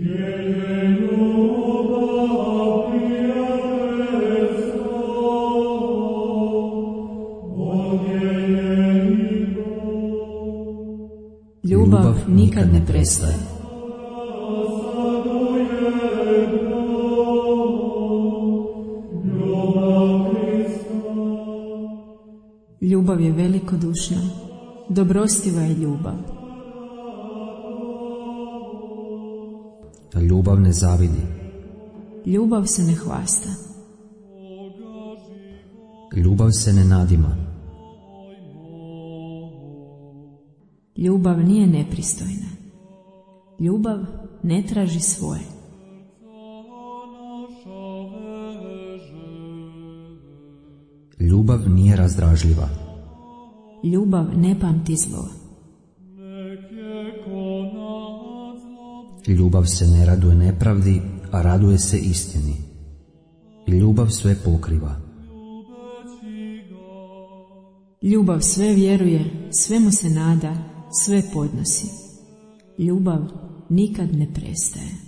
Ljubav nikad ne prestaje. Ljubav je velikodušna, dobrostiva je ljubav. Ljubav ne zavidi. Ljubav se ne hvasta. Ljubav se ne nadima. Ljubav nije nepristojna. Ljubav ne traži svoje. Ljubav nije razdražljiva. Ljubav ne pamti zlo. Ljubav se ne raduje nepravdi, a raduje se istini. Ljubav sve pokriva. Ljubav sve vjeruje, svemu se nada, sve podnosi. Ljubav nikad ne prestaje.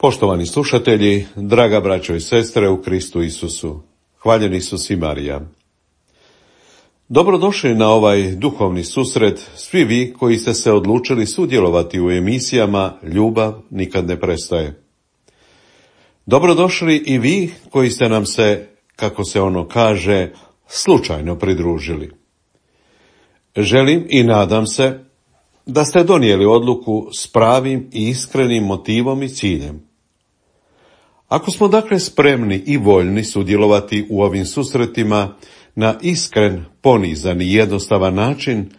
Poštovani slušatelji, draga braćo i sestre u Kristu Isusu, hvaljen Isus i Marija. Dobrodošli na ovaj duhovni susret, svi vi koji ste se odlučili sudjelovati u emisijama Ljubav nikad ne prestaje. Dobrodošli i vi koji ste nam se, kako se ono kaže, slučajno pridružili. Želim i nadam se da ste donijeli odluku s pravim i iskrenim motivom i ciljem. Ako smo dakle spremni i voljni sudjelovati u ovim susretima na iskren, ponizan i jednostavan način,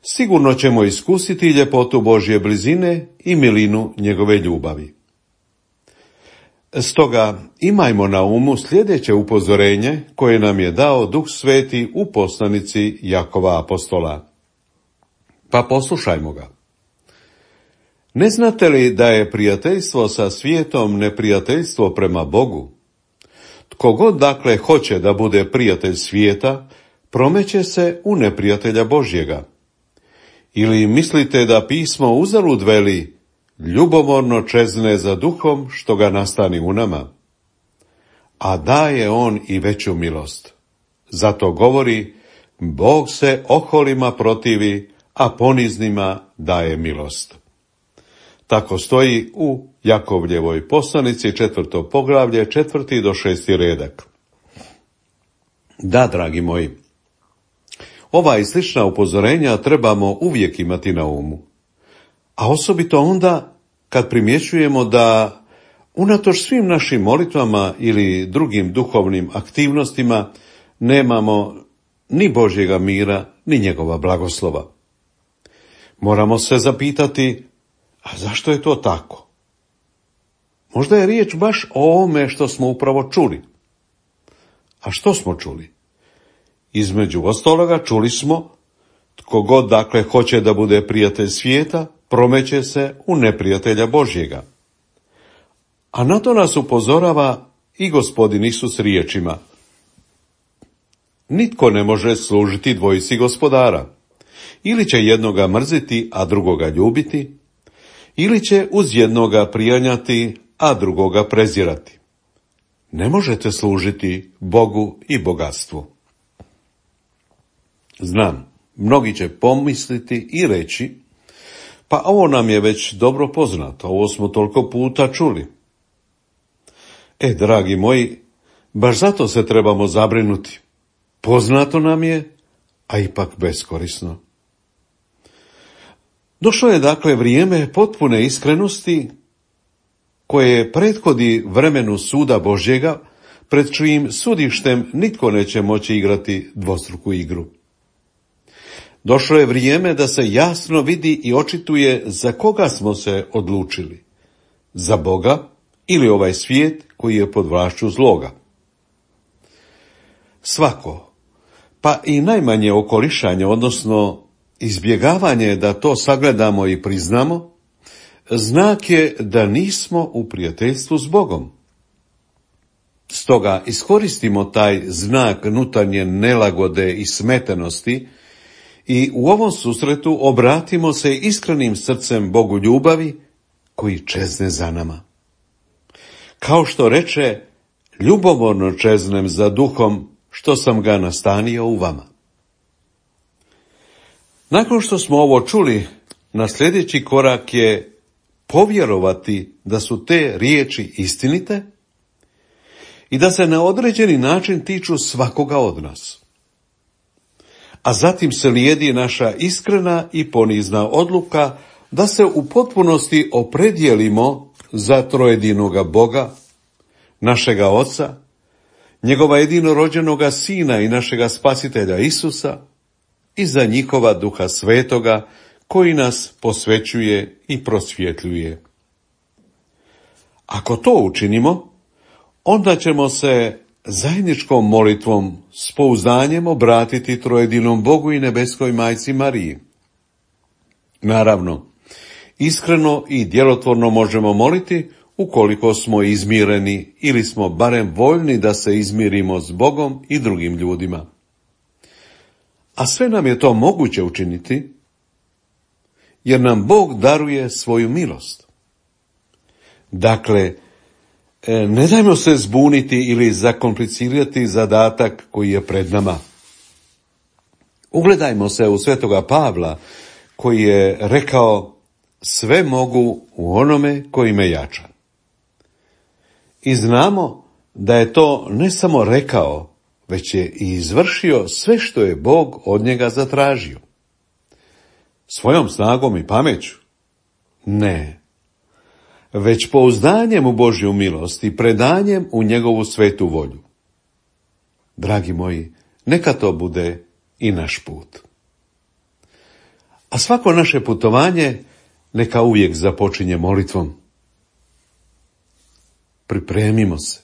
sigurno ćemo iskusiti ljepotu Božje blizine i milinu njegove ljubavi. Stoga imajmo na umu sljedeće upozorenje koje nam je dao Duh Sveti u poslanici Jakova apostola. Pa poslušajmo ga. Ne znate li da je prijateljstvo sa svijetom neprijateljstvo prema Bogu? Tko god dakle hoće da bude prijatelj svijeta, promeće se u neprijatelja Božjega. Ili mislite da pismo uzalud veli, ljubomorno čezne za duhom što ga nastani u nama? A daje on i veću milost. Zato govori, Bog se oholima protivi, a poniznima daje milost. Tako stoji u Jakovljevoj poslanici 4. poglavlje 4. do 6. redak. Da, dragi moji, ova i slična upozorenja trebamo uvijek imati na umu. A osobito onda kad primjećujemo da unatoč svim našim molitvama ili drugim duhovnim aktivnostima nemamo ni Božjega mira, ni njegova blagoslova. Moramo se zapitati, a zašto je to tako? Možda je riječ baš o ovome što smo upravo čuli. A što smo čuli? Između ostaloga čuli smo, tko god dakle hoće da bude prijatelj svijeta, promeće se u neprijatelja Božjega. A na to nas upozorava i Gospodin Isus riječima. Nitko ne može služiti dvojici gospodara. Ili će jednoga mrziti, a drugoga ljubiti, ili će uz jednoga prijanjati, a drugoga prezirati. Ne možete služiti Bogu i bogatstvu. Znam, mnogi će pomisliti i reći, pa ovo nam je već dobro poznato, ovo smo toliko puta čuli. Dragi moji, baš zato se trebamo zabrinuti. Poznato nam je, a ipak beskorisno. Došlo je dakle vrijeme potpune iskrenosti koje prethodi vremenu suda Božjega, pred čijim sudištem nitko neće moći igrati dvostruku igru. Došlo je vrijeme da se jasno vidi i očituje za koga smo se odlučili. Za Boga ili ovaj svijet koji je pod vlašću zloga. Svako, pa i najmanje okolišanje, odnosno izbjegavanje da to sagledamo i priznamo, znak je da nismo u prijateljstvu s Bogom. Stoga iskoristimo taj znak nutarnje nelagode i smetenosti i u ovom susretu obratimo se iskrenim srcem Bogu ljubavi koji čezne za nama. Kao što reče, ljubomorno čeznem za duhom što sam ga nastanio u vama. Nakon što smo ovo čuli, na sljedeći korak je povjerovati da su te riječi istinite i da se na određeni način tiču svakoga od nas. A zatim se slijedi naša iskrena i ponizna odluka da se u potpunosti opredijelimo za trojedinoga Boga, našega Oca, njegova jedinorođenoga Sina i našega Spasitelja Isusa i za njihova Duha Svetoga koji nas posvećuje i prosvjetljuje. Ako to učinimo, onda ćemo se zajedničkom molitvom s pouzdanjem obratiti trojedinom Bogu i nebeskoj majci Mariji. Naravno, iskreno i djelotvorno možemo moliti ukoliko smo izmireni ili smo barem voljni da se izmirimo s Bogom i drugim ljudima. A sve nam je to moguće učiniti, jer nam Bog daruje svoju milost. Dakle, ne dajmo se zbuniti ili zakomplicirati zadatak koji je pred nama. Ugledajmo se u svetoga Pavla koji je rekao: sve mogu u onome koji me jača. I znamo da je to ne samo rekao, već je i izvršio sve što je Bog od njega zatražio. Svojom snagom i pameću? Ne. Već pouzdanjem u Božju milost i predanjem u njegovu svetu volju. Dragi moji, neka to bude i naš put. A svako naše putovanje neka uvijek započinje molitvom. Pripremimo se.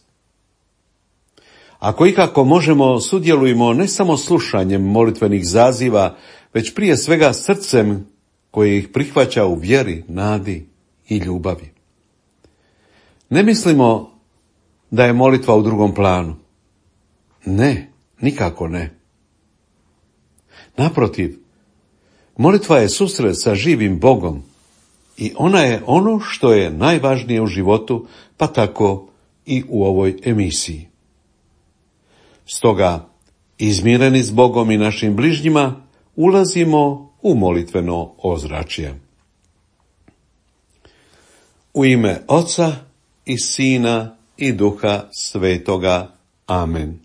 Ako ikako možemo, sudjelujemo ne samo slušanjem molitvenih zaziva, već prije svega srcem koje ih prihvaća u vjeri, nadi i ljubavi. Ne mislimo da je molitva u drugom planu. Ne, nikako ne. Naprotiv, molitva je susret sa živim Bogom i ona je ono što je najvažnije u životu, pa tako i u ovoj emisiji. Stoga, izmireni s Bogom i našim bližnjima, ulazimo u molitveno ozračje. U ime Oca i Sina i Duha Svetoga. Amen.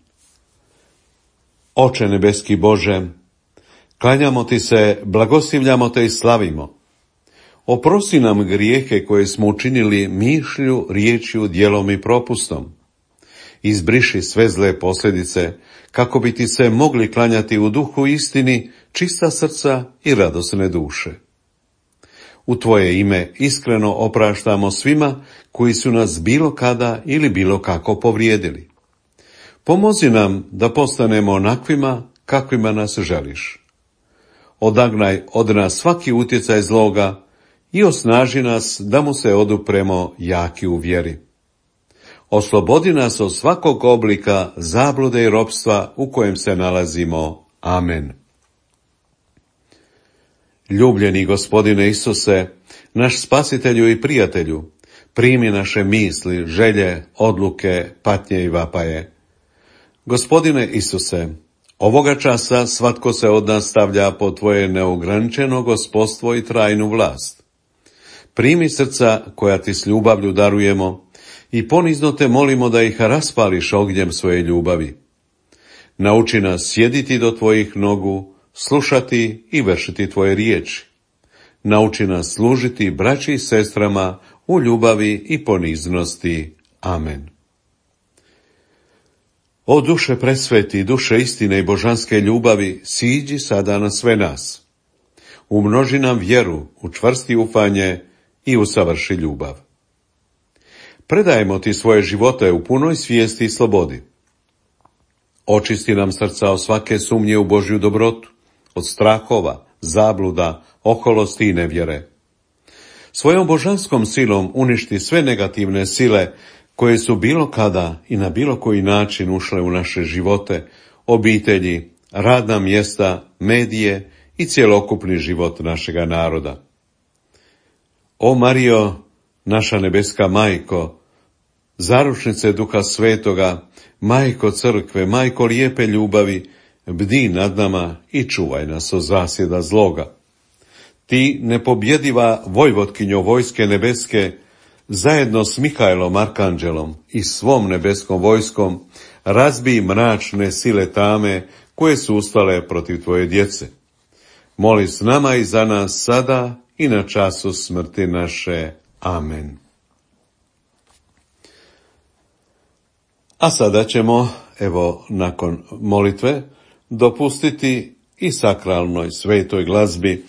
Oče nebeski Bože, klanjamo ti se, blagoslivljamo te i slavimo. Oprosti nam grijehe koje smo učinili mišlju, riječju, djelom i propustom. Izbriši sve zle posljedice, kako bi ti se mogli klanjati u duhu istini, čista srca i radosne duše. U tvoje ime iskreno opraštamo svima koji su nas bilo kada ili bilo kako povrijedili. Pomozi nam da postanemo onakvima kakvima nas želiš. Odagnaj od nas svaki utjecaj zloga i osnaži nas da mu se odupremo jaki u vjeri. Oslobodi nas od svakog oblika zablude i ropstva u kojem se nalazimo. Amen. Ljubljeni Gospodine Isuse, naš Spasitelju i Prijatelju, primi naše misli, želje, odluke, patnje i vapaje. Gospodine Isuse, ovoga časa svatko se od nas stavlja pod tvoje neograničeno gospodstvo i trajnu vlast. Primi srca koja ti s ljubavlju darujemo i ponizno te molimo da ih raspališ ognjem svoje ljubavi. Nauči nas sjediti do tvojih nogu, slušati i vršiti tvoje riječi. Nauči nas služiti braći i sestrama u ljubavi i poniznosti. Amen. O duše presveti, duše istine i božanske ljubavi, siđi sada na sve nas. Umnoži nam vjeru, učvrsti ufanje i usavrši ljubav. Predajemo ti svoje živote u punoj svijesti i slobodi. Očisti nam srca od svake sumnje u Božju dobrotu, od strahova, zabluda, oholosti i nevjere. Svojom božanskom silom uništi sve negativne sile koje su bilo kada i na bilo koji način ušle u naše živote, obitelji, radna mjesta, medije i cjelokupni život našega naroda. O Marijo, naša nebeska majko, zaručnice Duha Svetoga, majko crkve, majko lijepe ljubavi, bdi nad nama i čuvaj nas od zasjeda zloga. Ti, nepobjediva vojvotkinjo vojske nebeske, zajedno s Mihajlom Arkanđelom i svom nebeskom vojskom, razbij mračne sile tame koje su ustale protiv tvoje djece. Moli s nama i za nas sada i na času smrti naše. Amen. A sada ćemo, evo, nakon molitve, dopustiti i sakralnoj svetoj glazbi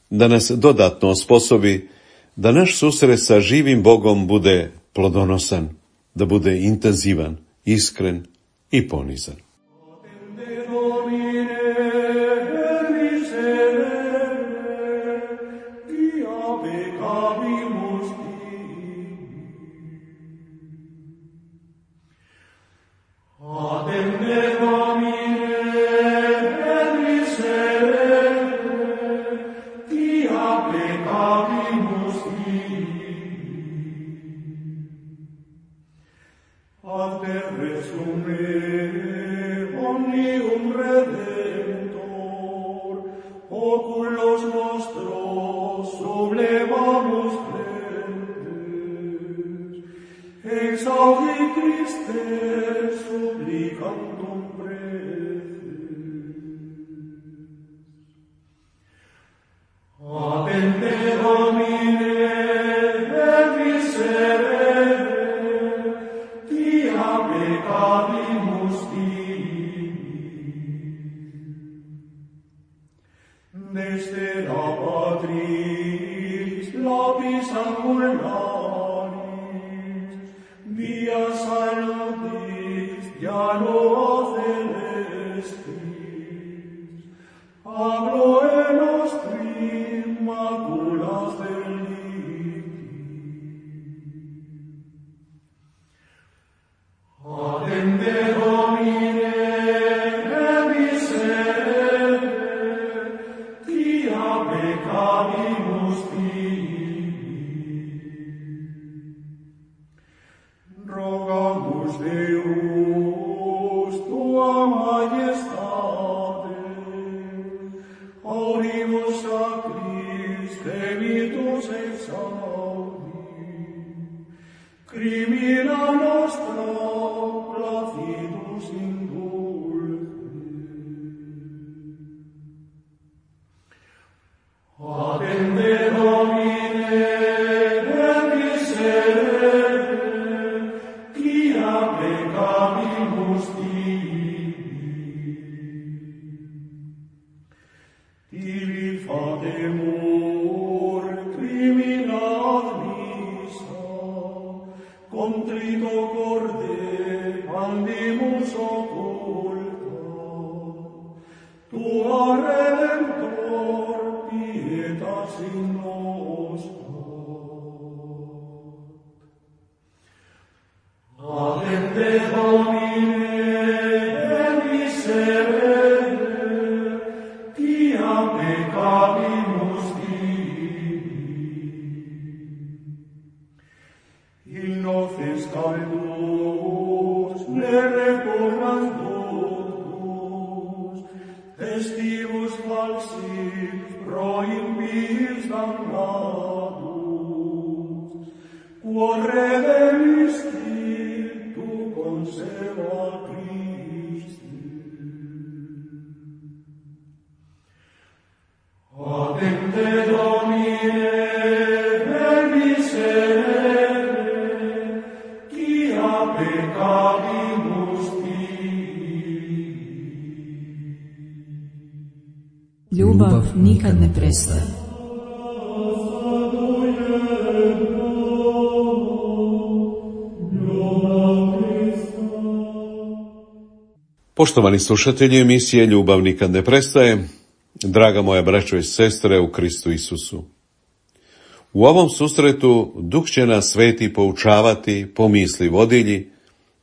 da nas dodatno osposobi da naš susret sa živim Bogom bude plodonosan, da bude intenzivan, iskren i ponizan. Ljubav nikad ne prestaje. Poštovani slušatelji emisije Ljubav nikad ne prestaje, draga moja braćo i sestre u Kristu Isusu. U ovom susretu Duh će nas sveti poučavati po misli vodilji,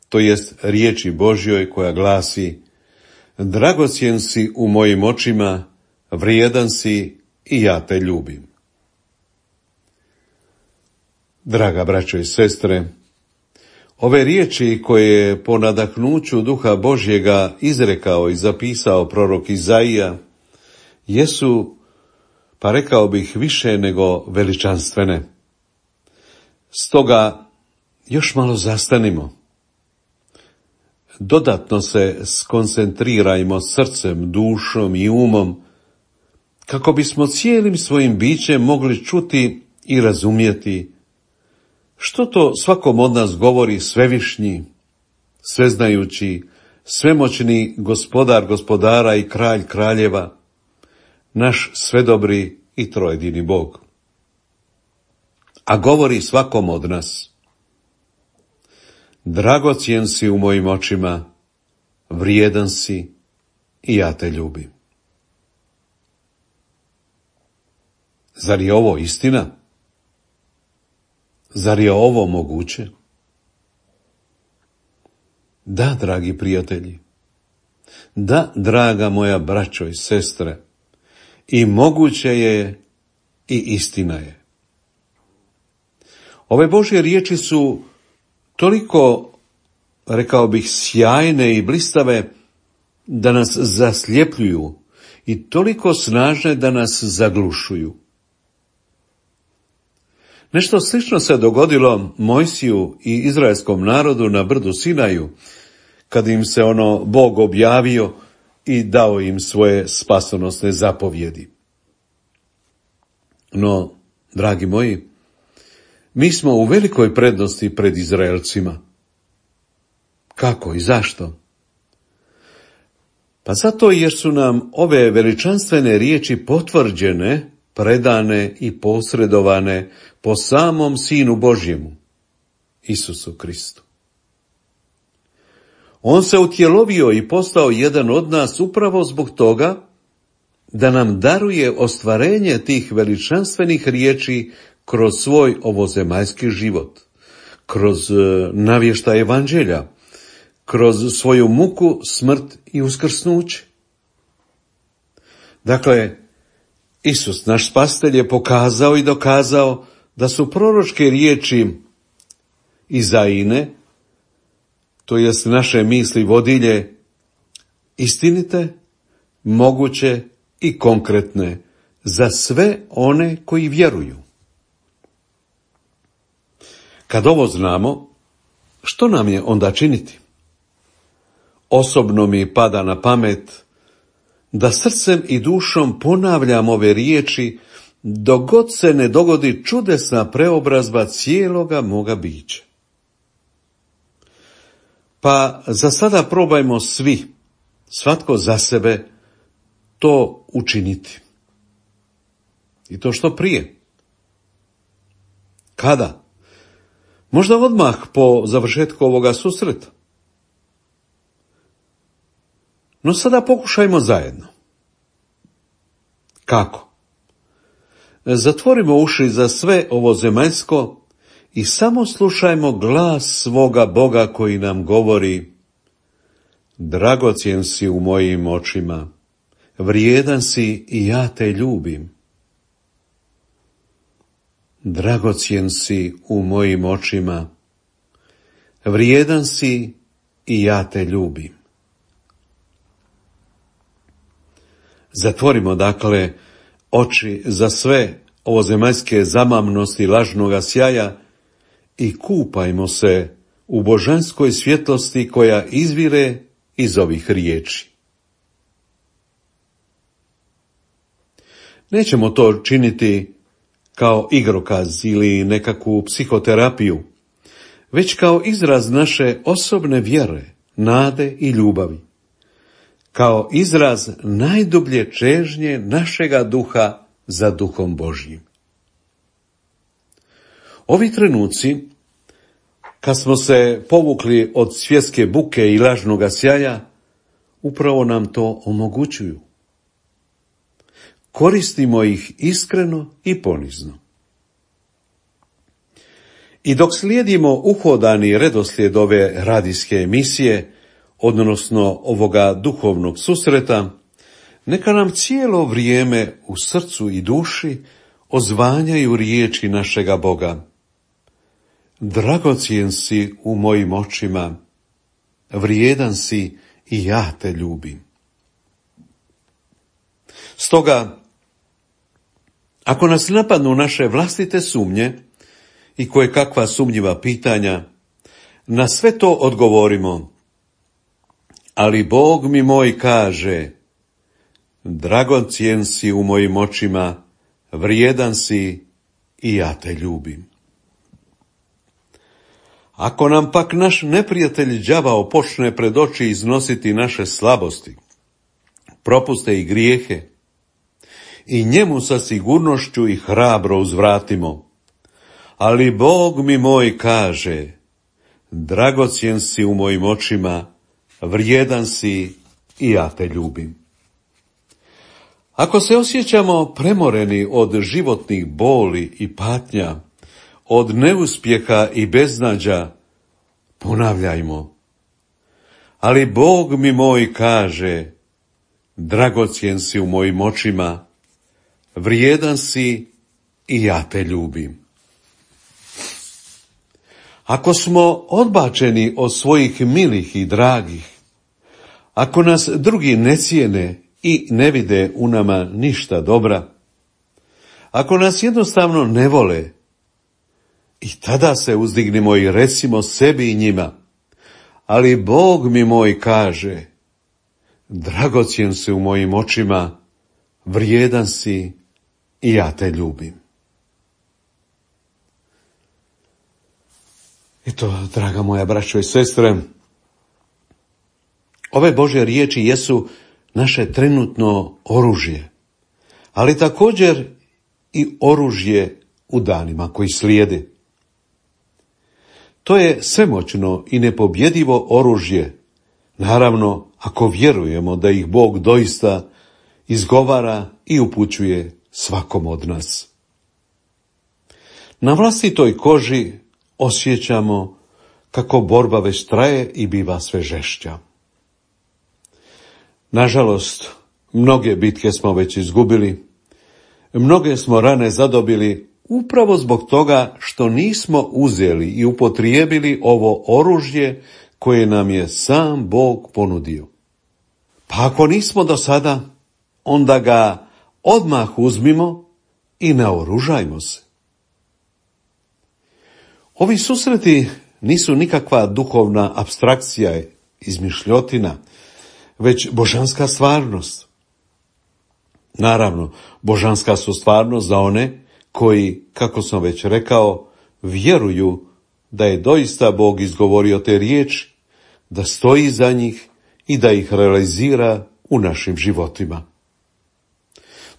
to jest riječi Božjoj koja glasi: dragocjen si u mojim očima, vrijedan si i ja te ljubim. Draga braćo i sestre, ove riječi koje je po nadahnuću Duha Božjega izrekao i zapisao prorok Izaija jesu, pa rekao bih, više nego veličanstvene. Stoga još malo zastanimo. Dodatno se skoncentrirajmo srcem, dušom i umom, kako bismo cijelim svojim bićem mogli čuti i razumjeti što to svakom od nas govori svevišnji, sveznajući, svemoćni Gospodar gospodara i Kralj kraljeva, naš svedobri i trojedini Bog. A govori svakom od nas: dragocjen si u mojim očima, vrijedan si i ja te ljubim. Zar je ovo istina? Zar je ovo moguće? Da, dragi prijatelji, da, draga moja braćo i sestre, i moguće je i istina je. Ove Božje riječi su toliko, rekao bih, sjajne i blistave da nas zasljepljuju i toliko snažne da nas zaglušuju. Nešto slično se dogodilo Mojsiju i izraelskom narodu na brdu Sinaju, kad im se Bog objavio i dao im svoje spasonosne zapovjedi. No, dragi moji, mi smo u velikoj prednosti pred Izraelcima. Kako i zašto? Pa zato jer su nam ove veličanstvene riječi potvrđene, predane i posredovane po samom Sinu Božjemu, Isusu Kristu. On se utjelovio i postao jedan od nas upravo zbog toga da nam daruje ostvarenje tih veličanstvenih riječi kroz svoj ovozemaljski život, kroz navještaj evanđelja, kroz svoju muku, smrt i uskrsnuće. Dakle, Isus, naš spasitelj, je pokazao i dokazao da su proročke riječi Izaine, to jest naše misli vodilje, istinite, moguće i konkretne za sve one koji vjeruju. Kad ovo znamo, što nam je onda činiti? Osobno mi pada na pamet da srcem i dušom ponavljam ove riječi dok god se ne dogodi čudesna preobrazba cijeloga moga bića. Pa za sada probajmo svi, svatko za sebe, to učiniti. I to što prije. Kada? Možda odmah po završetku ovoga susreta. No sada pokušajmo zajedno. Kako? Zatvorimo uši za sve ovo zemaljsko i samo slušajmo glas svoga Boga koji nam govori: dragocjen si u mojim očima, vrijedan si i ja te ljubim. Dragocjen si u mojim očima, vrijedan si i ja te ljubim. Zatvorimo dakle oči za sve ovozemaljske zamamnosti lažnoga sjaja i kupajmo se u božanskoj svjetlosti koja izvire iz ovih riječi. Nećemo to činiti kao igrokaz ili nekakvu psihoterapiju, već kao izraz naše osobne vjere, nade i ljubavi, kao izraz najdublje čežnje našega duha za Duhom Božjim. Ovi trenuci, kad smo se povukli od svjetske buke i lažnoga sjaja, upravo nam to omogućuju. koristimo ih iskreno i ponizno. I dok slijedimo uhodani redoslijed ove radijske emisije, odnosno ovoga duhovnog susreta, neka nam cijelo vrijeme u srcu i duši ozvanjaju riječi našega Boga. Dragocjen si u mojim očima, vrijedan si i ja te ljubim. Stoga, ako nas napadnu naše vlastite sumnje i koje kakva sumnjiva pitanja, na sve to odgovorimo, ali Bog mi moj kaže, dragocjen si u mojim očima, vrijedan si i ja te ljubim. Ako nam pak naš neprijatelj đavao počne pred oči iznositi naše slabosti, propuste i grijehe, i njemu sa sigurnošću i hrabro uzvratimo, ali Bog mi moj kaže, dragocjen si u mojim očima, vrijedan si i ja te ljubim. Ako se osjećamo premoreni od životnih boli i patnja, od neuspjeha i beznađa, ponavljajmo, ali Bog mi moj kaže, dragocjen si u mojim očima, vrijedan si i ja te ljubim. Ako smo odbačeni od svojih milih i dragih, ako nas drugi ne cijene i ne vide u nama ništa dobra, ako nas jednostavno ne vole, i tada se uzdignimo i recimo sebi i njima, ali Bog mi moj kaže, dragocjen si u mojim očima, vrijedan si i ja te ljubim. Eto, draga moja braćo i sestre, ove Božje riječi jesu naše trenutno oružje, ali također i oružje u danima koji slijede. To je svemoćno i nepobjedivo oružje, naravno ako vjerujemo da ih Bog doista izgovara i upućuje svakom od nas. Na vlastitoj koži osjećamo kako borba već traje i biva sve žešća. Nažalost, mnoge bitke smo već izgubili, mnoge smo rane zadobili upravo zbog toga što nismo uzeli i upotrijebili ovo oružje koje nam je sam Bog ponudio. Pa ako nismo do sada, onda ga odmah uzmimo i naoružajmo se. Ovi susreti nisu nikakva duhovna apstrakcija, izmišljotina, već božanska stvarnost. Naravno, božanska su stvarnost za one koji, kako sam već rekao, vjeruju da je doista Bog izgovorio te riječi, da stoji za njih i da ih realizira u našim životima.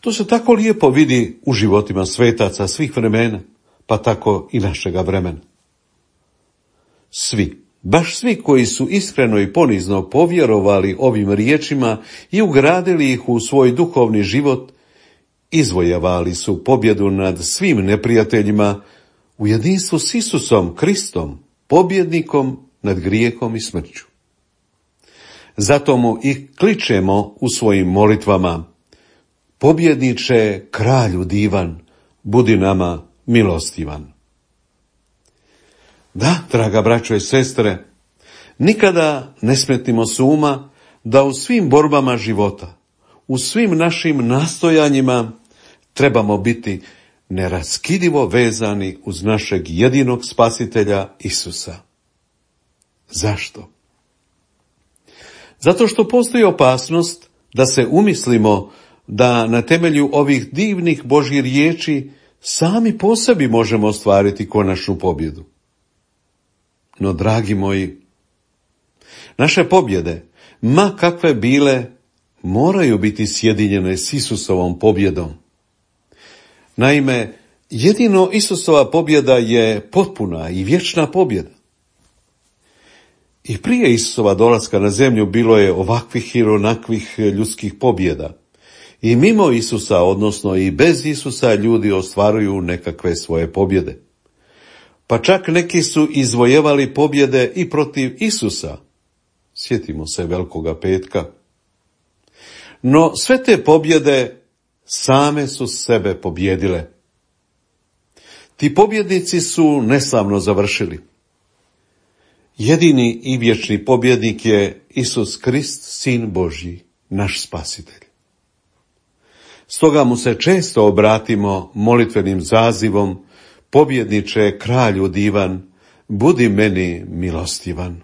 To se tako lijepo vidi u životima svetaca svih vremena, pa tako i našega vremena. Svi, baš svi koji su iskreno i ponizno povjerovali ovim riječima i ugradili ih u svoj duhovni život, izvojavali su pobjedu nad svim neprijateljima u jedinstvu s Isusom Kristom, pobjednikom nad grijehom i smrću. Zato mu i kličemo u svojim molitvama: pobjedniče, kralju divan, budi nama milostivan. Da, draga braćo i sestre, nikada ne smetnimo s uma da u svim borbama života, u svim našim nastojanjima trebamo biti neraskidivo vezani uz našeg jedinog spasitelja Isusa. Zašto? Zato što postoji opasnost da se umislimo da na temelju ovih divnih Božjih riječi sami po sebi možemo ostvariti konačnu pobjedu. No, dragi moji, naše pobjede, ma kakve bile, moraju biti sjedinjene s Isusovom pobjedom. Naime, jedino Isusova pobjeda je potpuna i vječna pobjeda. I prije Isusova dolaska na zemlju bilo je ovakvih i onakvih ljudskih pobjeda. I mimo Isusa, odnosno i bez Isusa, ljudi ostvaruju nekakve svoje pobjede. Pa čak neki su izvojevali pobjede i protiv Isusa. Sjetimo se Velikoga petka. No sve te pobjede same su sebe pobjedile. Ti pobjednici su neslavno završili. Jedini i vječni pobjednik je Isus Krist, Sin Božji, naš spasitelj. Stoga mu se često obratimo molitvenim zazivom: pobjedniče, kralju divan, budi meni milostivan.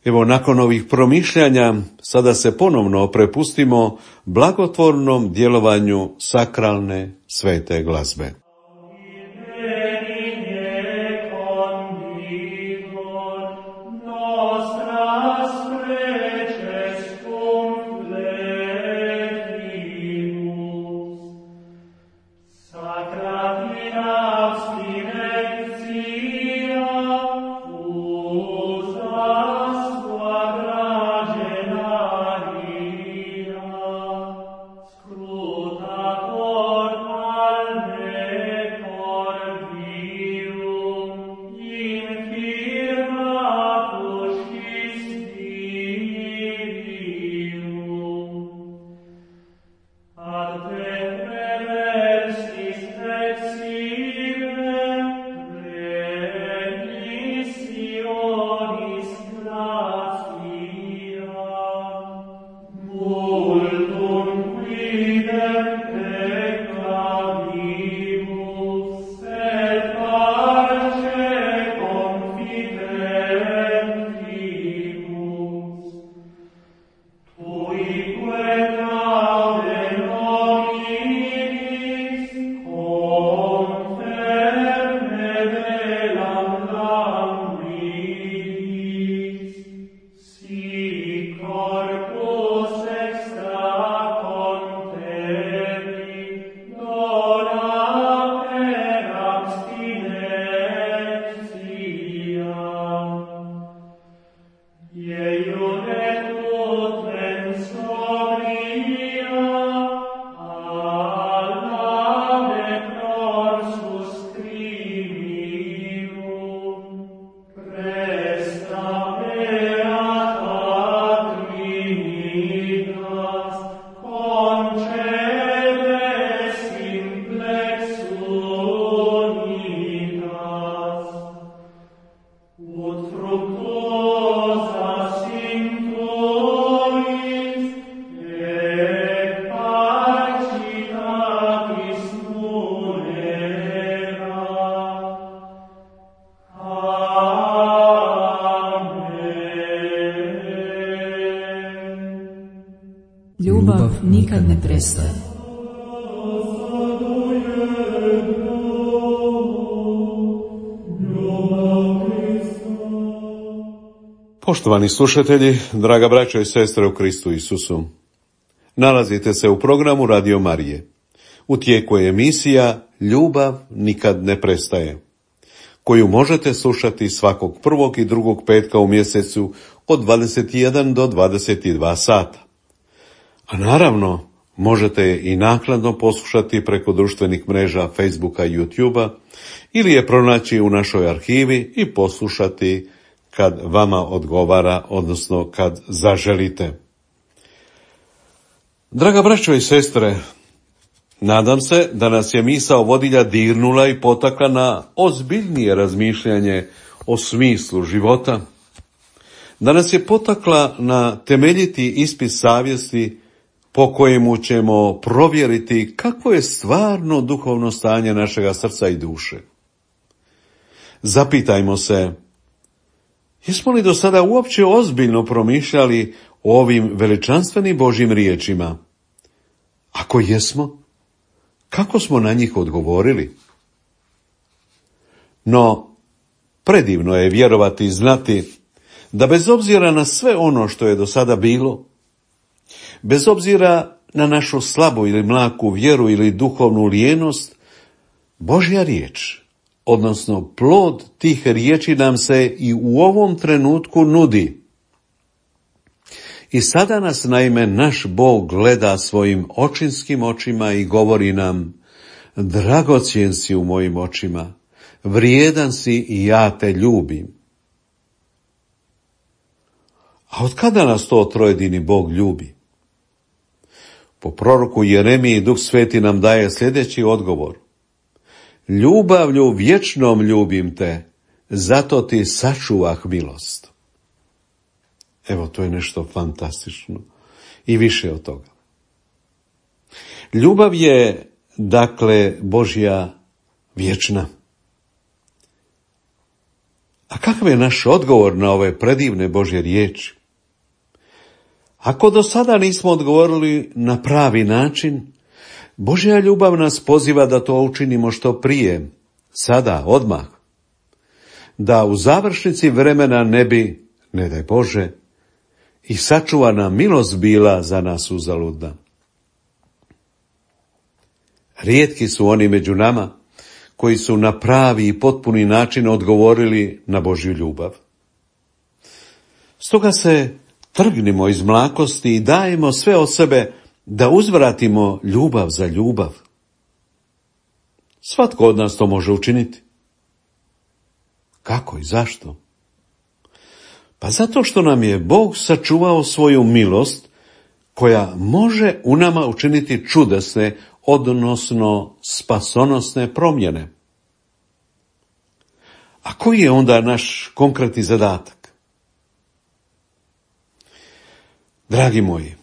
Evo, nakon ovih promišljanja, sada se ponovno prepustimo blagotvornom djelovanju sakralne svete glazbe. Ljubav nikad ne prestaje. Poštovani slušatelji, draga braćo i sestre u Kristu Isusu, nalazite se u programu Radio Marije. U tijeku je emisija Ljubav nikad ne prestaje, koju možete slušati svakog prvog i drugog petka u mjesecu od 21 do 22 sata. A naravno, možete je i naknadno poslušati preko društvenih mreža Facebooka i YouTubea ili je pronaći u našoj arhivi i poslušati kad vama odgovara, odnosno kad zaželite. Draga braćo i sestre, nadam se da nas je misao vodilja dirnula i potakla na ozbiljnije razmišljanje o smislu života, da nas je potakla na temeljiti ispit savjesti po kojemu ćemo provjeriti kakvo je stvarno duhovno stanje našega srca i duše. Zapitajmo se, jesmo li do sada uopće ozbiljno promišljali o ovim veličanstvenim Božjim riječima? Ako jesmo, kako smo na njih odgovorili? No, predivno je vjerovati i znati da bez obzira na sve ono što je do sada bilo, bez obzira na našu slabu ili mlaku vjeru ili duhovnu lijenost, Božja riječ, odnosno plod tih riječi nam se i u ovom trenutku nudi. I sada nas naime naš Bog gleda svojim očinskim očima i govori nam: dragocjen si u mojim očima, vrijedan si i ja te ljubim. A od kada nas to trojedini Bog ljubi? Po proroku Jeremiji Duh Sveti nam daje sljedeći odgovor: ljubavlju vječnom ljubim te, zato ti sačuvah milost. Evo, to je nešto fantastično i više od toga. Ljubav je, dakle, Božja vječna. A kakav je naš odgovor na ove predivne Božje riječi? Ako do sada nismo odgovorili na pravi način, Božja ljubav nas poziva da to učinimo što prije, sada, odmah. Da u završnici vremena ne bi, ne daj Bože, i sačuvana milost bila za nas uzaludna. Rijetki su oni među nama koji su na pravi i potpuni način odgovorili na Božju ljubav. Stoga se trgnimo iz mlakosti i dajemo sve od sebe da uzvratimo ljubav za ljubav. Svatko od nas to može učiniti. Kako i zašto? Pa zato što nam je Bog sačuvao svoju milost koja može u nama učiniti čudesne, odnosno spasonosne promjene. A koji je onda naš konkretni zadatak? Dragi moji,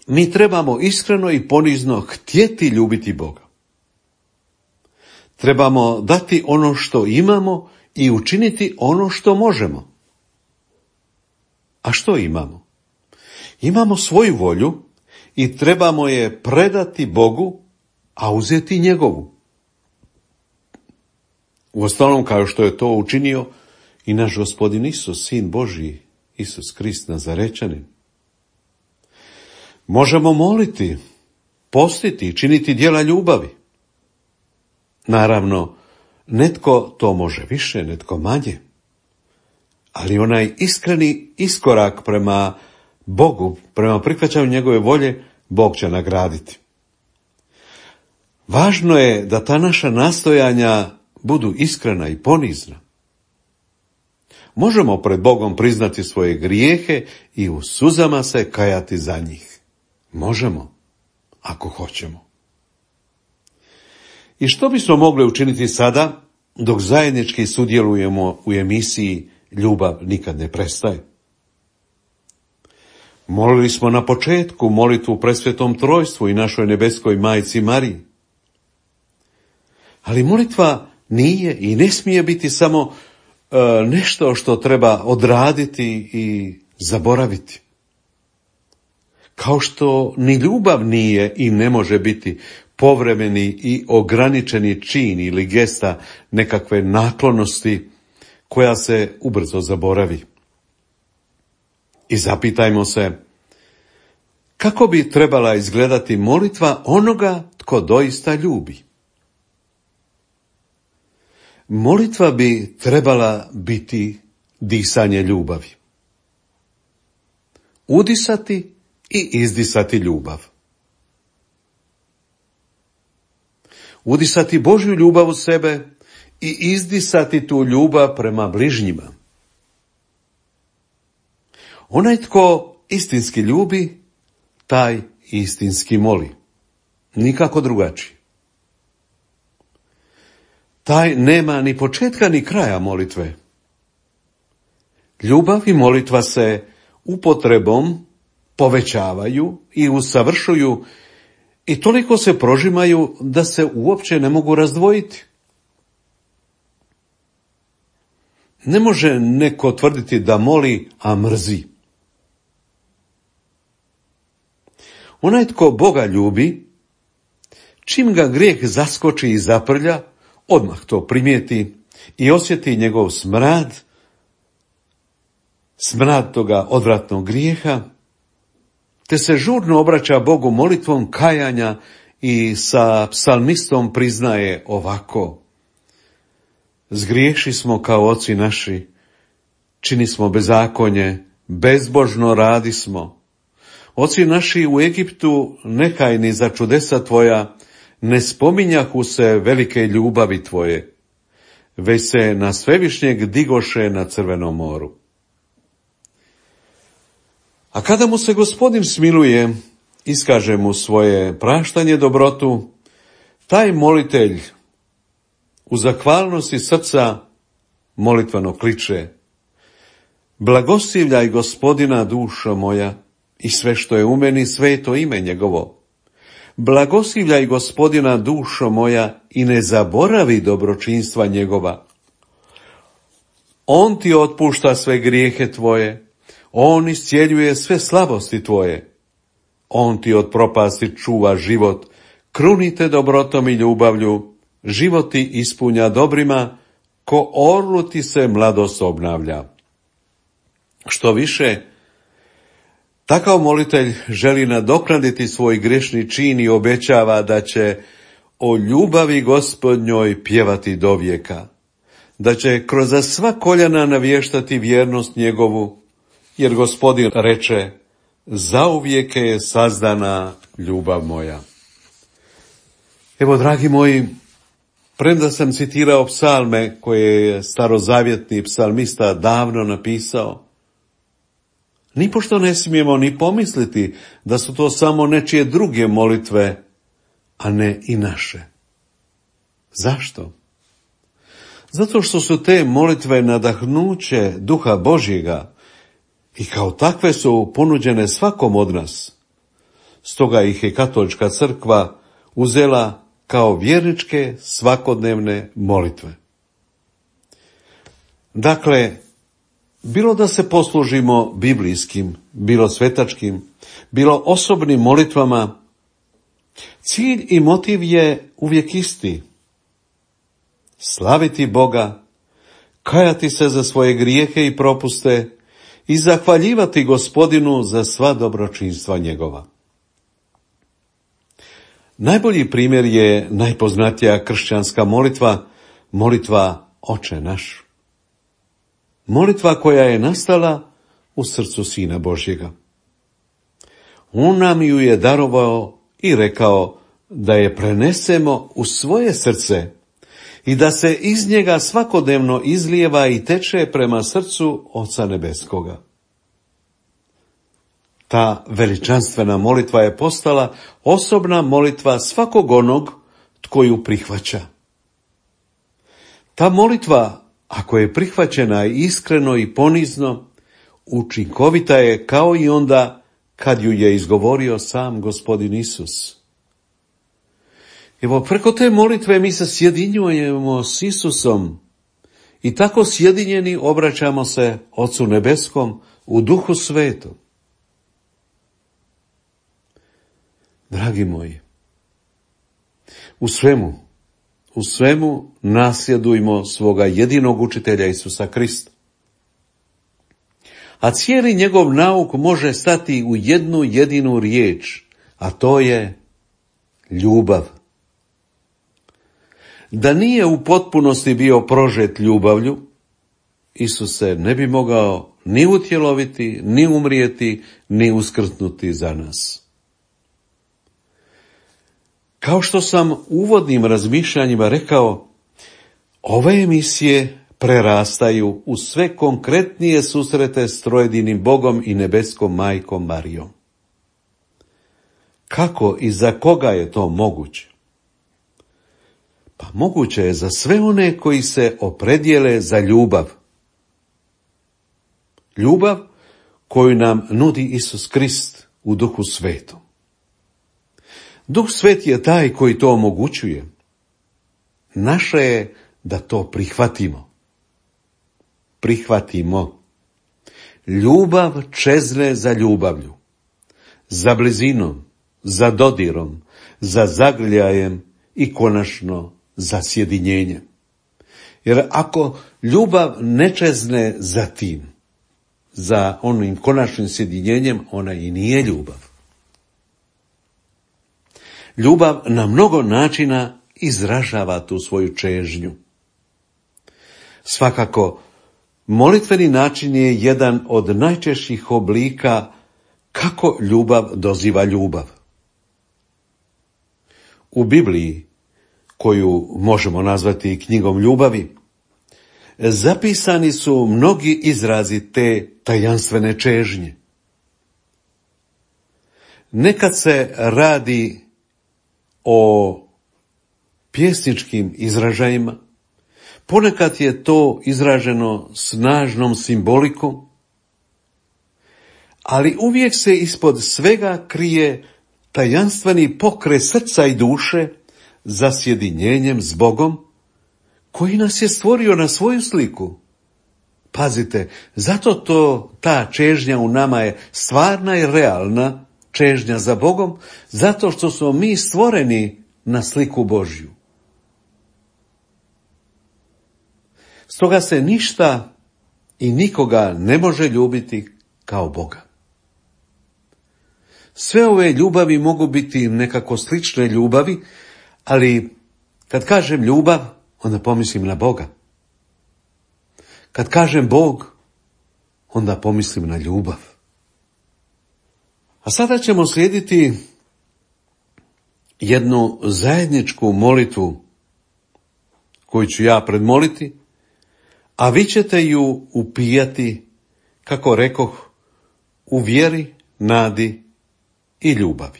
mi trebamo iskreno i ponizno htjeti ljubiti Boga. Trebamo dati ono što imamo i učiniti ono što možemo. A što imamo? Imamo svoju volju i trebamo je predati Bogu, a uzeti njegovu. Uostalom, kao što je to učinio i naš Gospodin Isus, Sin Božji, Isus Krist Nazarečanin. Možemo moliti, postiti i činiti djela ljubavi. Naravno, netko to može više, netko manje. Ali onaj iskreni iskorak prema Bogu, prema prihvaćanju njegove volje, Bog će nagraditi. Važno je da ta naša nastojanja budu iskrena i ponizna. Možemo pred Bogom priznati svoje grijehe i u suzama se kajati za njih. Možemo, ako hoćemo. I što bismo mogli učiniti sada, dok zajednički sudjelujemo u emisiji Ljubav nikad ne prestaje? Molili smo na početku molitvu Presvetom Trojstvu i našoj nebeskoj Majci Mariji. Ali molitva nije i ne smije biti samo nešto što treba odraditi i zaboraviti. Kao što ni ljubav nije i ne može biti povremeni i ograničeni čin ili gesta nekakve naklonosti koja se ubrzo zaboravi. I zapitajmo se, kako bi trebala izgledati molitva onoga tko doista ljubi? Molitva bi trebala biti disanje ljubavi. Udisati i izdisati ljubav. Udisati Božju ljubav u sebe i izdisati tu ljubav prema bližnjima. Onaj tko istinski ljubi, taj istinski moli. Nikako drugačije. Taj nema ni početka ni kraja molitve. Ljubav i molitva se upotrebom povećavaju i usavršuju i toliko se prožimaju da se uopće ne mogu razdvojiti. Ne može neko tvrditi da moli, a mrzi. Onaj tko Boga ljubi, čim ga grijeh zaskoči i zaprlja, odmah to primijeti i osjeti njegov smrad toga odvratnog grijeha, te se žurno obraća Bogu molitvom kajanja i sa psalmistom priznaje ovako: zgriješi smo kao oci naši, čini smo bezakonje, bezbožno radismo. Oci naši u Egiptu nekajni za čudesa tvoja, ne spominjahu se velike ljubavi tvoje, već se na svevišnjeg digoše na Crvenom moru. A kada mu se Gospodin smiluje, iskaže mu svoje praštanje dobrotu, taj molitelj u zahvalnosti srca molitveno kliče: blagoslivljaj Gospodina, dušo moja, i sve što je u meni, sveto ime njegovo. Blagoslivljaj Gospodina, dušo moja, i ne zaboravi dobročinstva njegova. On ti otpušta sve grijehe tvoje, on iscijeljuje sve slabosti tvoje. On ti od propasti čuva život, krunite dobrotom i ljubavlju, život ti ispunja dobrima, ko orlu ti se mladost obnavlja. Što više, takav molitelj želi nadoknaditi svoj grešni čin i obećava da će o ljubavi Gospodnjoj pjevati dovijeka, da će kroz sva koljena navještati vjernost njegovu, jer Gospodin reče: zauvijek je sazdana ljubav moja. Evo, dragi moji, premda sam citirao psalme koje je starozavjetni psalmista davno napisao, nipošto ne smijemo ni pomisliti da su to samo nečije druge molitve, a ne i naše. Zašto? Zato što su te molitve nadahnuće Duha Božjega i kao takve su ponuđene svakom od nas. Stoga ih je Katolička crkva uzela kao vjerničke svakodnevne molitve. Dakle, bilo da se poslužimo biblijskim, bilo svetačkim, bilo osobnim molitvama, cilj i motiv je uvijek isti: slaviti Boga, kajati se za svoje grijehe i propuste i zahvaljivati Gospodinu za sva dobročinstva njegova. Najbolji primjer je najpoznatija kršćanska molitva, molitva Oče naš. Molitva koja je nastala u srcu Sina Božjega. On nam ju je darovao i rekao da je prenesemo u svoje srce i da se iz njega svakodnevno izlijeva i teče prema srcu Oca Nebeskoga. Ta veličanstvena molitva je postala osobna molitva svakog onog tko ju prihvaća. Ta molitva, ako je prihvaćena iskreno i ponizno, učinkovita je kao i onda kad ju je izgovorio sam Gospodin Isus. Evo, preko te molitve mi se sjedinjujemo s Isusom i tako sjedinjeni obraćamo se Ocu Nebeskom u Duhu Svetom. Dragi moji, u svemu nasljedujmo svoga jedinog učitelja Isusa Krista. A cijeli njegov nauk može stati u jednu jedinu riječ, a to je ljubav. Da nije u potpunosti bio prožet ljubavlju, Isus se ne bi mogao ni utjeloviti, ni umrijeti, ni uskrsnuti za nas. Kao što sam u uvodnim razmišljanjima rekao, ove emisije prerastaju u sve konkretnije susrete s trojedinim Bogom i nebeskom majkom Marijom. Kako i za koga je to moguće? Pa moguće je za sve one koji se opredijele za ljubav. Ljubav koju nam nudi Isus Krist u Duhu Svetom. Duh Svet je taj koji to omogućuje. Naše je da to prihvatimo. Prihvatimo. Ljubav čezne za ljubavlju, za blizinom, za dodirom, za zagrljajem i konačno za sjedinjenjem. Jer ako ljubav ne čezne za tim, za onim konačnim sjedinjenjem, ona i nije ljubav. Ljubav na mnogo načina izražava tu svoju čežnju. Svakako, Molitveni način je jedan od najčešćih oblika kako ljubav doziva ljubav. U Bibliji, koju možemo nazvati knjigom ljubavi, zapisani su mnogi izrazi te tajanstvene čežnje. Nekad se radi o pjesničkim izražajima, ponekad je to izraženo snažnom simbolikom, ali uvijek se ispod svega krije tajanstveni pokret srca i duše za sjedinjenjem s Bogom, koji nas je stvorio na svoju sliku. Pazite, zato ta čežnja u nama je stvarna i realna čežnja za Bogom, zato što smo mi stvoreni na sliku Božju. Stoga se ništa i nikoga ne može ljubiti kao Boga. Sve ove ljubavi mogu biti nekako slične ljubavi, ali kad kažem ljubav, onda pomislim na Boga. Kad kažem Bog, onda pomislim na ljubav. A sada ćemo slijediti jednu zajedničku molitvu koju ću ja predmoliti, a vi ćete ju upijati, kako rekoh, u vjeri, nadi i ljubavi.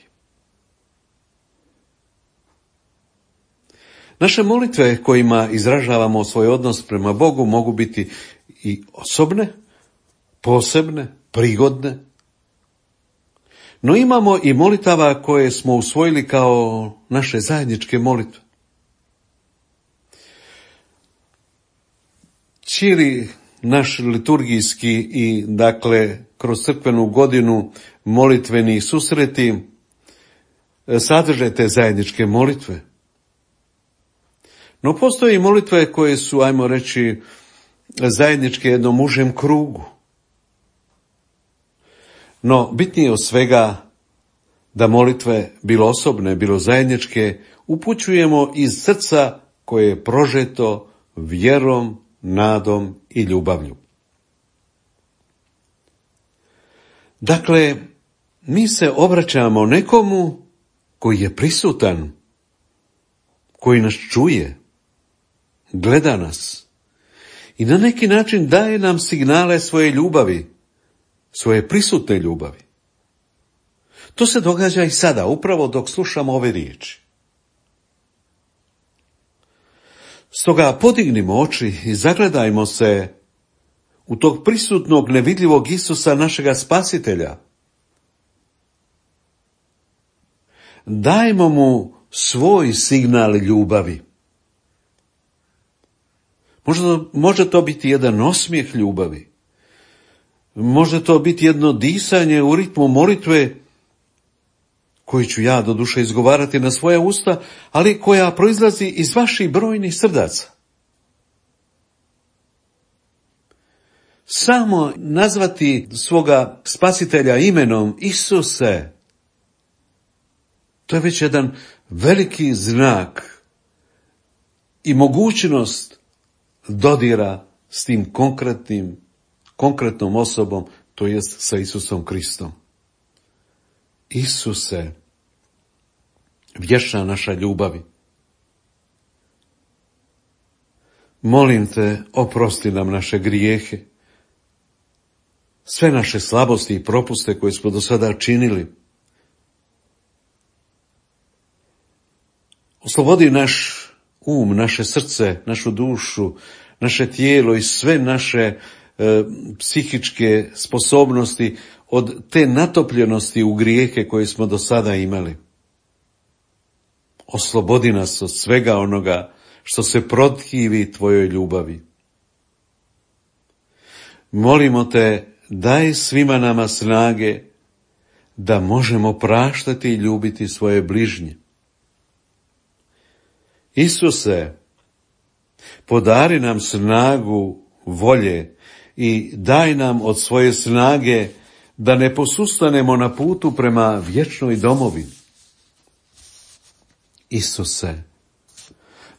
Naše molitve kojima izražavamo svoj odnos prema Bogu mogu biti i osobne, posebne, prigodne, no imamo i molitava koje smo usvojili kao naše zajedničke molitve. Cijeli naš liturgijski i, kroz crkvenu godinu molitveni susreti sadrže te zajedničke molitve. No postoje i molitve koje su, ajmo reći, zajedničke jednom užem krugu. No bitnije od svega da molitve, bilo osobne, bilo zajedničke, upućujemo iz srca koje je prožeto vjerom, nadom i ljubavlju. Dakle, mi se obraćamo nekomu koji je prisutan, koji nas čuje, gleda nas i na neki način daje nam signale svoje ljubavi, svoje prisutne ljubavi. To se događa i sada, upravo dok slušamo ove riječi. Stoga podignimo oči i zagledajmo se u tog prisutnog nevidljivog Isusa, našega Spasitelja. Dajmo mu svoj signal ljubavi. Može to biti jedan osmijeh ljubavi. Može to biti jedno disanje u ritmu molitve, koju ću ja doduše izgovarati na svoja usta, ali koja proizlazi iz vaših brojnih srdaca. Samo nazvati svoga Spasitelja imenom Isuse, to je već jedan veliki znak i mogućnost dodira s tim konkretnom osobom, to jest sa Isusom Kristom. Isuse, vječna naša ljubavi, molim te, oprosti nam naše grijehe, sve naše slabosti i propuste koje smo do sada činili. Oslobodi naš um, naše srce, našu dušu, naše tijelo i sve naše psihičke sposobnosti od te natopljenosti u grijehe koje smo do sada imali. Oslobodi nas od svega onoga što se protivi tvojoj ljubavi. Molimo te, daj svima nama snage da možemo praštati i ljubiti svoje bližnje. Isuse, podari nam snagu volje i daj nam od svoje snage da ne posustanemo na putu prema vječnoj domovini. Isuse,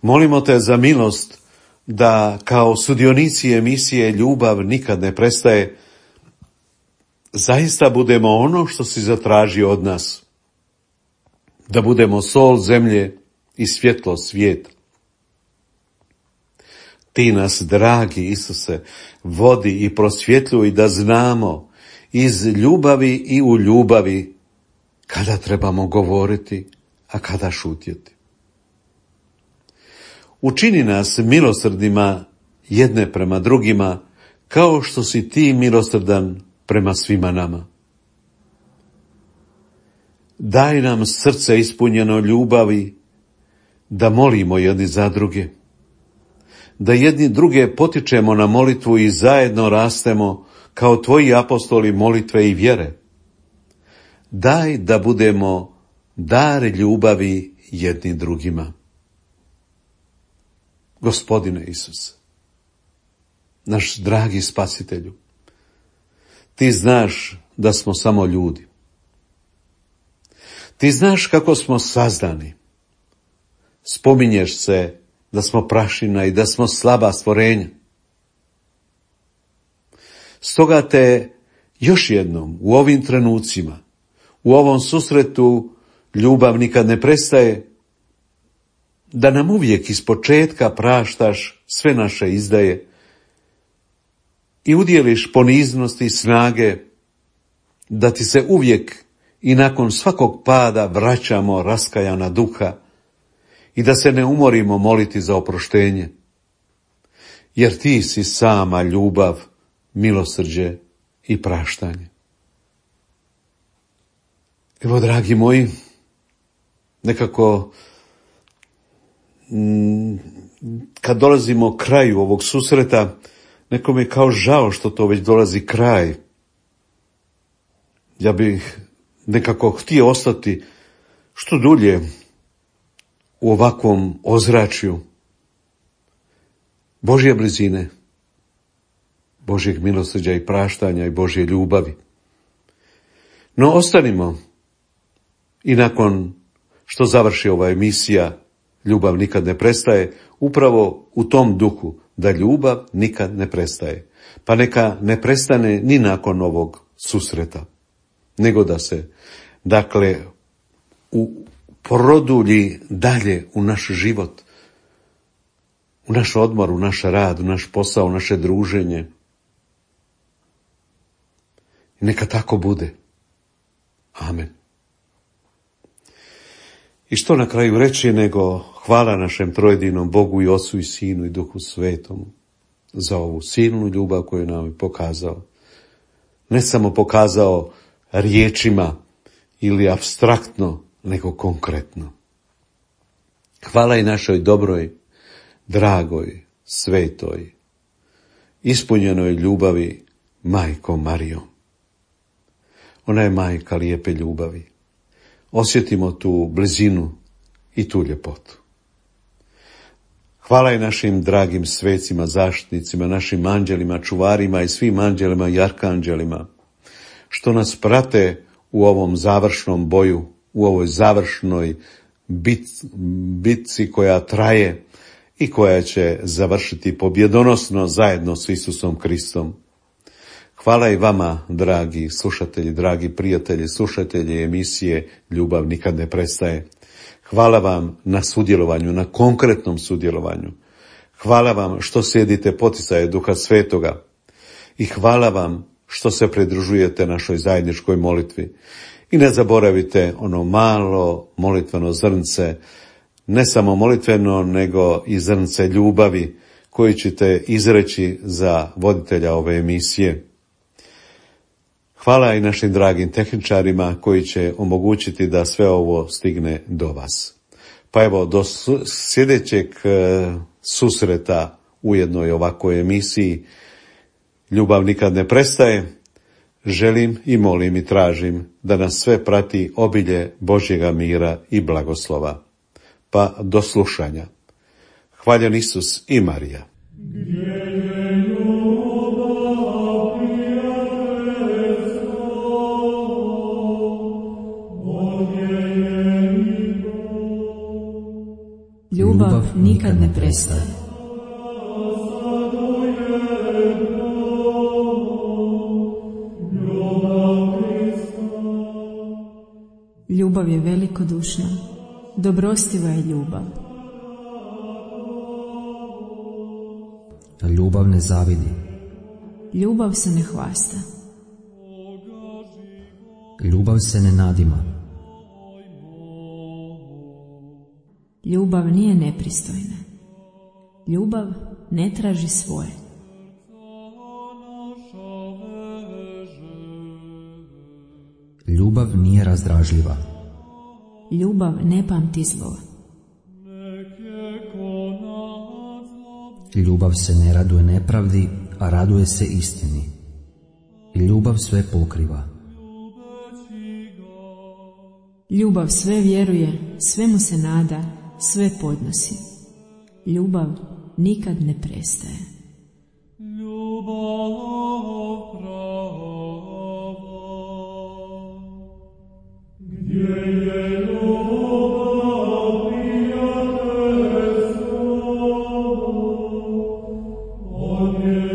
molimo te za milost da kao sudionici emisije Ljubav nikad ne prestaje, zaista budemo ono što si zatražio od nas, da budemo sol zemlje i svjetlo svijeta. Ti nas, dragi Isuse, vodi i prosvjetljuj da znamo iz ljubavi i u ljubavi kada trebamo govoriti, a kada šutjeti. Učini nas milosrdnima jedne prema drugima, kao što si ti milosrdan prema svima nama. Daj nam srce ispunjeno ljubavi, da molimo jedni za druge, da jedni druge potičemo na molitvu i zajedno rastemo kao tvoji apostoli molitve i vjere. Daj da budemo dar ljubavi jedni drugima. Gospodine Isuse, naš dragi Spasitelju, ti znaš da smo samo ljudi. Ti znaš kako smo sazdani. Spominješ se da smo prašina i da smo slaba stvorenja. Stoga te još jednom u ovim trenucima, u ovom susretu Ljubav nikad ne prestaje, da nam uvijek ispočetka praštaš sve naše izdaje i udjeliš poniznosti i snage, da ti se uvijek i nakon svakog pada vraćamo raskajana duha i da se ne umorimo moliti za oproštenje, jer ti si sama ljubav, milosrđe i praštanje. Evo, dragi moji, nekako kad dolazimo kraju ovog susreta, nekom je kao žao što to već dolazi kraj. Ja bih nekako htio ostati što dulje u ovakvom ozračju Božje blizine, Božjeg milosrđa i praštanja i Božje ljubavi. No ostanimo i nakon što završi ova emisija Ljubav nikad ne prestaje, upravo u tom duhu da ljubav nikad ne prestaje. Pa neka ne prestane ni nakon ovog susreta, nego da se, dakle, produlji dalje u naš život, u naš odmor, u naš rad, u naš posao, u naše druženje. I neka tako bude. Amen. I što na kraju reći nego hvala našem trojedinom Bogu i Ocu i Sinu i Duhu Svetomu za ovu silnu ljubav koju nam je pokazao. Ne samo pokazao riječima ili apstraktno, nego konkretno. Hvala i našoj dobroj, dragoj, svetoj, ispunjenoj ljubavi Majko Marijo. Ona je majka lijepe ljubavi. Osjetimo tu blizinu i tu ljepotu. Hvala i našim dragim svecima, zaštitnicima, našim anđelima, čuvarima i svim anđelima i arkanđelima, što nas prate u ovom završnom boju, u ovoj završnoj bitci koja traje i koja će završiti pobjedonosno zajedno s Isusom Kristom. Hvala i vama, dragi slušatelji, dragi prijatelji, slušatelji emisije Ljubav nikad ne prestaje. Hvala vam na sudjelovanju, na konkretnom sudjelovanju. Hvala vam što slijedite poticaje Duha Svetoga. I hvala vam što se pridružujete našoj zajedničkoj molitvi. I ne zaboravite ono malo molitveno zrnce, ne samo molitveno, nego i zrnce ljubavi koji ćete izreći za voditelja ove emisije. Hvala i našim dragim tehničarima koji će omogućiti da sve ovo stigne do vas. Pa evo, do sljedećeg susreta u jednoj ovakvoj emisiji Ljubav nikad ne prestaje. Želim i molim i tražim da nas sve prati obilje Božjega mira i blagoslova. Pa do slušanja. Hvaljen Isus i Marija. Ljubav nikad ne prestaje. Ljubav je velikodušna, dobrostiva je ljubav. Ljubav ne zavidi. Ljubav se ne hvasta. Ljubav se ne nadima. Ljubav nije nepristojna. Ljubav ne traži svoje. Ljubav nije razdražljiva. Ljubav ne pamti zlo. Ljubav se ne raduje nepravdi, a raduje se istini. Ljubav sve pokriva. Ljubav sve vjeruje, svemu se nada, sve podnosi. Ljubav nikad ne prestaje. Amen.